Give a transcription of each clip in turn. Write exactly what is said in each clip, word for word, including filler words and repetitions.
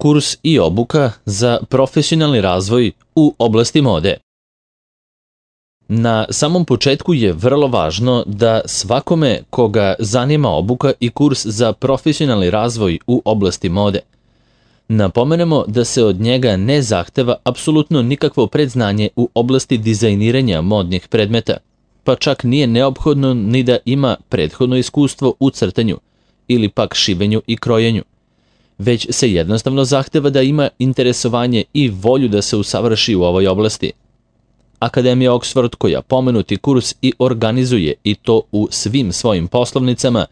Kurs i obuka za profesionalni razvoj u oblasti mode. Na samom početku je vrlo važno da svakome koga zanima obuka i kurs za profesionalni razvoj u oblasti mode, napomenemo da se od njega ne zahteva apsolutno nikakvo predznanje u oblasti dizajniranja modnih predmeta, pa čak nije neophodno ni da ima prethodno iskustvo u crtanju ili pak šivenju i krojenju, već se jednostavno zahteva da ima interesovanje i volju da se usavrši u ovoj oblasti. Akademija Oxford, koja pomenuti kurs i organizuje i to u svim svojim poslovnicama,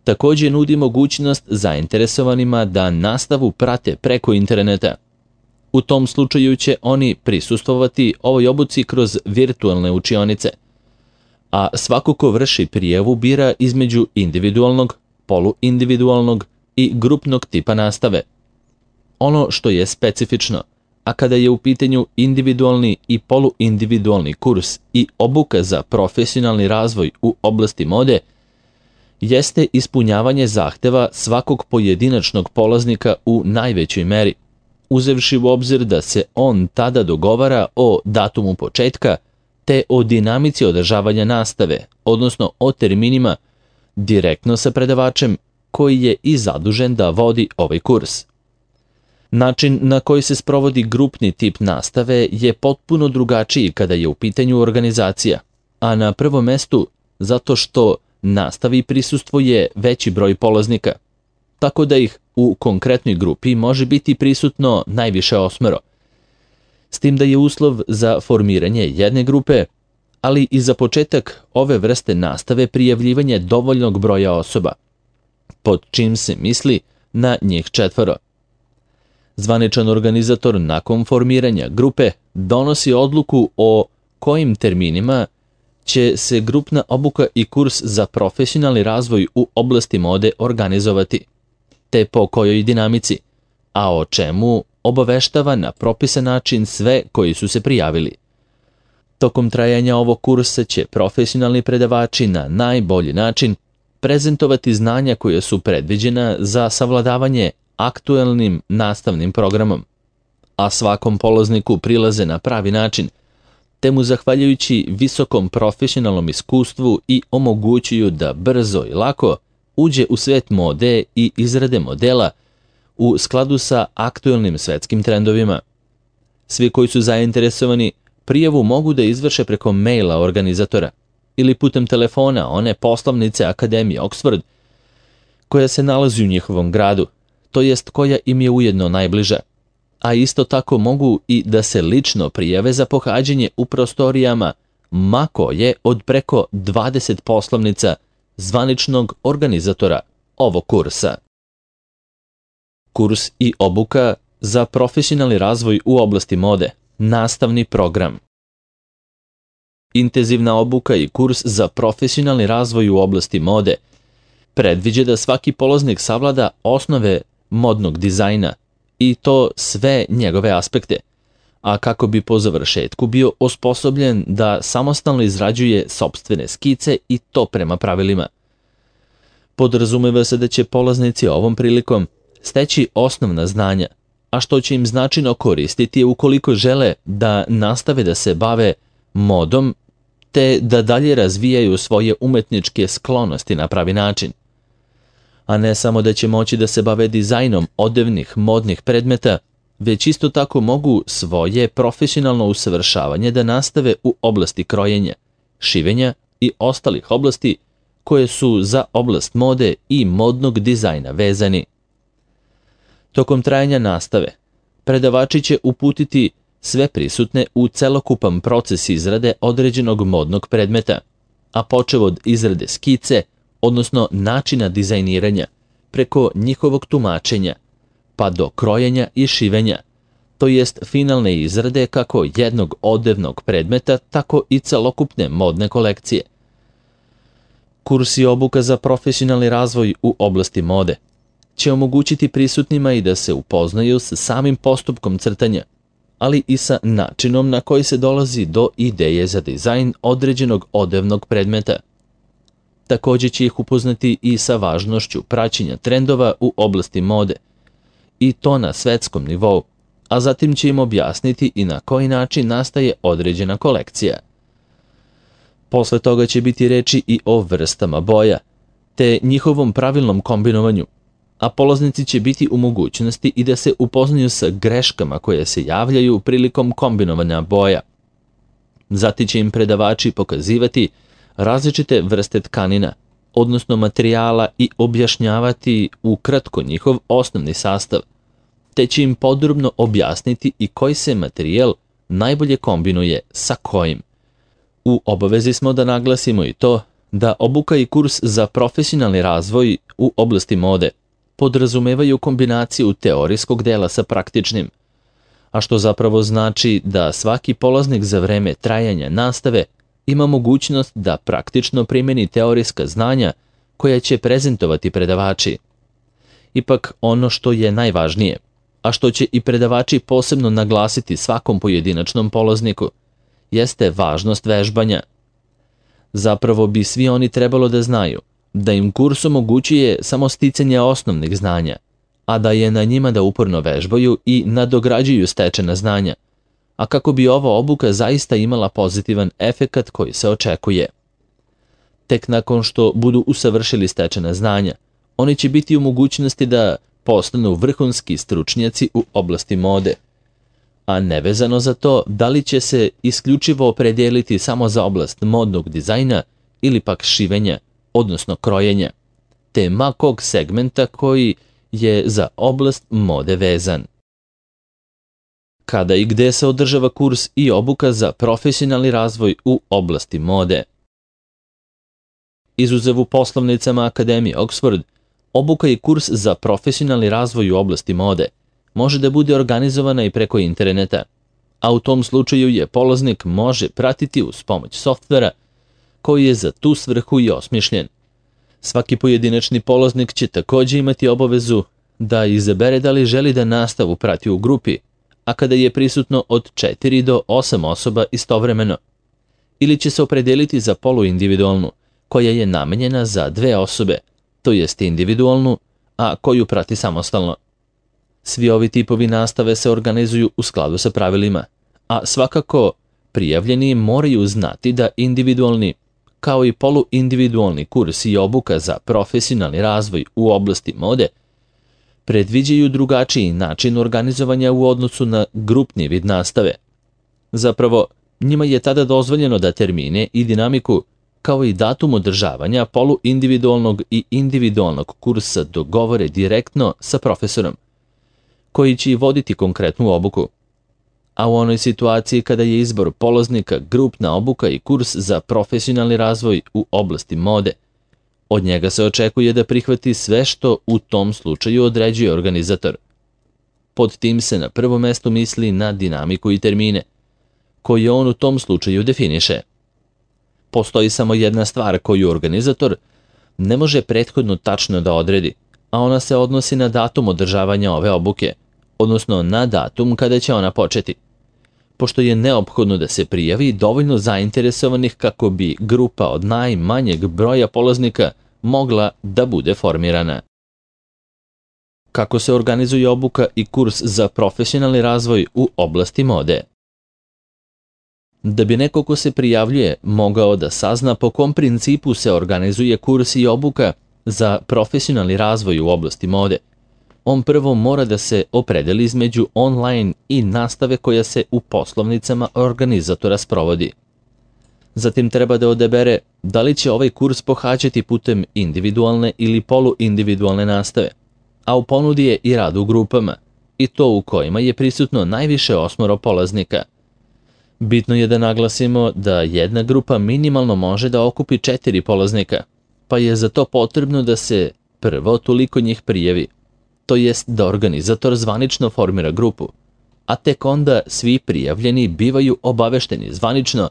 također nudi mogućnost zainteresovanima da nastavu prate preko interneta. U tom slučaju će oni prisustvovati ovoj obuci kroz virtualne učionice, a svako ko vrši prijavu bira između individualnog, poluindividualnog i grupnog tipa nastave. Ono što je specifično, a kada je u pitanju individualni i poluindividualni kurs i obuka za profesionalni razvoj u oblasti mode, jeste ispunjavanje zahteva svakog pojedinačnog polaznika u najvećoj meri, uzevši u obzir da se on tada dogovara o datumu početka te o dinamici održavanja nastave, odnosno o terminima, direktno sa predavačem koji je i zadužen da vodi ovaj kurs. Način na koji se sprovodi grupni tip nastave je potpuno drugačiji kada je u pitanju organizacija, a na prvom mestu zato što nastavi prisustvuje veći broj polaznika, tako da ih u konkretnoj grupi može biti prisutno najviše osmero. S tim da je uslov za formiranje jedne grupe, ali i za početak ove vrste nastave prijavljivanje dovoljnog broja osoba, pod čim se misli na njih četvoro. Zvaničan organizator nakon formiranja grupe donosi odluku o kojim terminima će se grupna obuka i kurs za profesionalni razvoj u oblasti mode organizovati, te po kojoj dinamici, a o čemu obaveštava na propisan način sve koji su se prijavili. Tokom trajanja ovog kursa će profesionalni predavači na najbolji način prezentovati znanja koja su predviđena za savladavanje aktuelnim nastavnim programom, a svakom polazniku prilaze na pravi način, te mu zahvaljujući visokom profesionalnom iskustvu i omogućuju da brzo i lako uđe u svet mode i izrade modela u skladu sa aktuelnim svetskim trendovima. Svi koji su zainteresovani prijavu mogu da izvrše preko maila organizatora ili putem telefona one poslovnice Akademije Oxford koja se nalazi u njihovom gradu, to jest koja im je ujedno najbliža, a isto tako mogu i da se lično prijave za pohađanje u prostorijama ma koje od preko dvadeset poslovnica zvaničnog organizatora ovog kursa. Kurs i obuka za profesionalni razvoj u oblasti mode, nastavni program. Intenzivna obuka i kurs za profesionalni razvoj u oblasti mode predviđa da svaki polaznik savlada osnove modnog dizajna i to sve njegove aspekte, a kako bi po završetku bio osposobljen da samostalno izrađuje sopstvene skice i to prema pravilima. Podrazumeva se da će polaznici ovom prilikom steći osnovna znanja, a što će im značajno koristiti ukoliko žele da nastave da se bave modom te da dalje razvijaju svoje umetničke sklonosti na pravi način. A ne samo da će moći da se bave dizajnom odevnih modnih predmeta, već isto tako mogu svoje profesionalno usavršavanje da nastave u oblasti krojenja, šivenja i ostalih oblasti koje su za oblast mode i modnog dizajna vezani. Tokom trajanja nastave, predavači će uputiti sve prisutne u celokupan proces izrade određenog modnog predmeta, a počev od izrade skice, odnosno načina dizajniranja, preko njihovog tumačenja, pa do krojenja i šivenja, to jest finalne izrade kako jednog odevnog predmeta, tako i celokupne modne kolekcije. Kurs i obuka za profesionalni razvoj u oblasti mode će omogućiti prisutnima i da se upoznaju sa samim postupkom crtanja, ali i sa načinom na koji se dolazi do ideje za dizajn određenog odevnog predmeta. Također će ih upoznati i sa važnošću praćenja trendova u oblasti mode i to na svetskom nivou, a zatim će im objasniti i na koji način nastaje određena kolekcija. Posle toga će biti reči i o vrstama boja, te njihovom pravilnom kombinovanju, a polaznici će biti u mogućnosti i da se upoznaju sa greškama koje se javljaju prilikom kombinovanja boja. Zatim će im predavači pokazivati različite vrste tkanina, odnosno materijala, i objašnjavati ukratko njihov osnovni sastav, te će im podrobno objasniti i koji se materijal najbolje kombinuje sa kojim. U obavezi smo da naglasimo i to da obuka i kurs za profesionalni razvoj u oblasti mode podrazumevaju kombinaciju teorijskog dela sa praktičnim, a što zapravo znači da svaki polaznik za vreme trajanja nastave ima mogućnost da praktično primeni teorijska znanja koja će prezentovati predavači. Ipak ono što je najvažnije, a što će i predavači posebno naglasiti svakom pojedinačnom polazniku, jeste važnost vežbanja. Zapravo bi svi oni trebalo da znaju da im kurs omogućuje samo sticanje osnovnih znanja, a da je na njima da uporno vežbaju i nadograđuju stečena znanja, a kako bi ova obuka zaista imala pozitivan efekat koji se očekuje. Tek nakon što budu usavršili stečena znanja, oni će biti u mogućnosti da postanu vrhunski stručnjaci u oblasti mode, a nevezano za to da li će se isključivo opredijeliti samo za oblast modnog dizajna ili pak šivenja, odnosno krojenja, te ma kog segmenta koji je za oblast mode vezan. Kada i gde se održava kurs i obuka za profesionalni razvoj u oblasti mode? Izuzev u poslovnicama Akademije Oxford, obuka i kurs za profesionalni razvoj u oblasti mode može da bude organizovana i preko interneta, a u tom slučaju je polaznik može pratiti uz pomoć softvera koji je za tu svrhu i osmišljen. Svaki pojedinačni polaznik će također imati obavezu da izabere da li želi da nastavu prati u grupi, a kada je prisutno od četiri do osam osoba istovremeno, ili će se opredeliti za poluindividualnu, koja je namenjena za dve osobe, to jest individualnu, a koju prati samostalno. Svi ovi tipovi nastave se organizuju u skladu sa pravilima, a svakako prijavljeni moraju znati da individualni, kao i poluindividualni kurs i obuka za profesionalni razvoj u oblasti mode predviđaju drugačiji način organizovanja u odnosu na grupni vid nastave. Zapravo, njima je tada dozvoljeno da termine i dinamiku, kao i datum održavanja poluindividualnog i individualnog kursa dogovore direktno sa profesorom, koji će i voditi konkretnu obuku. A u onoj situaciji kada je izbor polaznika grupna obuka i kurs za profesionalni razvoj u oblasti mode, od njega se očekuje da prihvati sve što u tom slučaju određuje organizator. Pod tim se na prvo mesto misli na dinamiku i termine, koje on u tom slučaju definiše. Postoji samo jedna stvar koju organizator ne može prethodno tačno da odredi, a ona se odnosi na datum održavanja ove obuke, odnosno na datum kada će ona početi, pošto je neophodno da se prijavi dovoljno zainteresovanih kako bi grupa od najmanjeg broja polaznika mogla da bude formirana. Kako se organizuje obuka i kurs za profesionalni razvoj u oblasti mode? Da bi neko ko se prijavljuje mogao da sazna po kom principu se organizuje kurs i obuka za profesionalni razvoj u oblasti mode, on prvo mora da se opredeli između online i nastave koja se u poslovnicama organizatora sprovodi. Zatim treba da odabere da li će ovaj kurs pohađati putem individualne ili poluindividualne nastave, a u ponudi je i rad u grupama, i to u kojima je prisutno najviše osmoro polaznika. Bitno je da naglasimo da jedna grupa minimalno može da okupi četiri polaznika, pa je za to potrebno da se prvo toliko njih prijavi, to jest da organizator zvanično formira grupu, a tek onda svi prijavljeni bivaju obavešteni zvanično,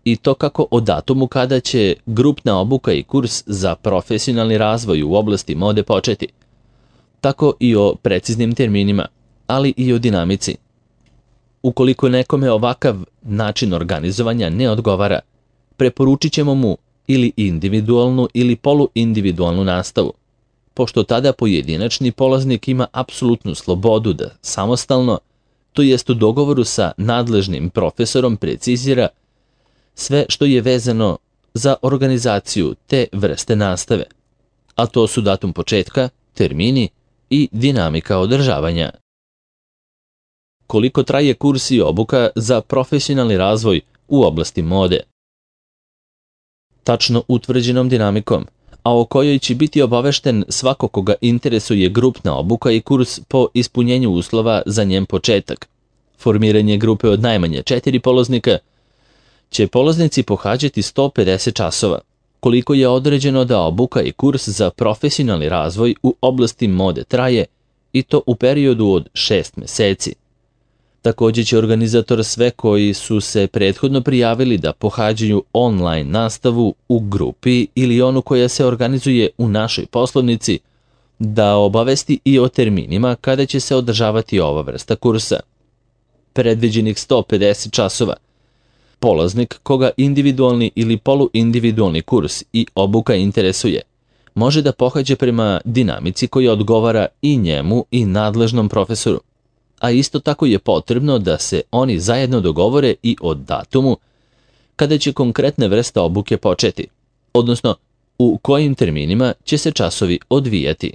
i to kako o datumu kada će grupna obuka i kurs za profesionalni razvoj u oblasti mode početi, tako i o preciznim terminima, ali i o dinamici. Ukoliko nekome ovakav način organizovanja ne odgovara, preporučit ćemo mu ili individualnu ili poluindividualnu nastavu, pošto tada pojedinačni polaznik ima apsolutnu slobodu da samostalno, to jest u dogovoru sa nadležnim profesorom, precizira sve što je vezano za organizaciju te vrste nastave, a to su datum početka, termini i dinamika održavanja. Koliko traje kurs i obuka za profesionalni razvoj u oblasti mode? Tačno utvrđenom dinamikom, a o kojoj će biti obavešten svako koga interesuje grupna obuka i kurs po ispunjenju uslova za njen početak. Formiranje grupe od najmanje četiri polaznika će polaznici pohađati sto pedeset časova, koliko je određeno da obuka i kurs za profesionalni razvoj u oblasti mode traje, i to u periodu od šest meseci. Također će organizator sve koji su se prethodno prijavili da pohađaju online nastavu u grupi ili onu koja se organizuje u našoj poslovnici da obavesti i o terminima kada će se održavati ova vrsta kursa. Predviđenih sto pedeset časova. Polaznik koga individualni ili poluindividualni kurs i obuka interesuje, može da pohađa prema dinamici koja odgovara i njemu i nadležnom profesoru, a isto tako je potrebno da se oni zajedno dogovore i o datumu kada će konkretne vrste obuke početi, odnosno u kojim terminima će se časovi odvijati.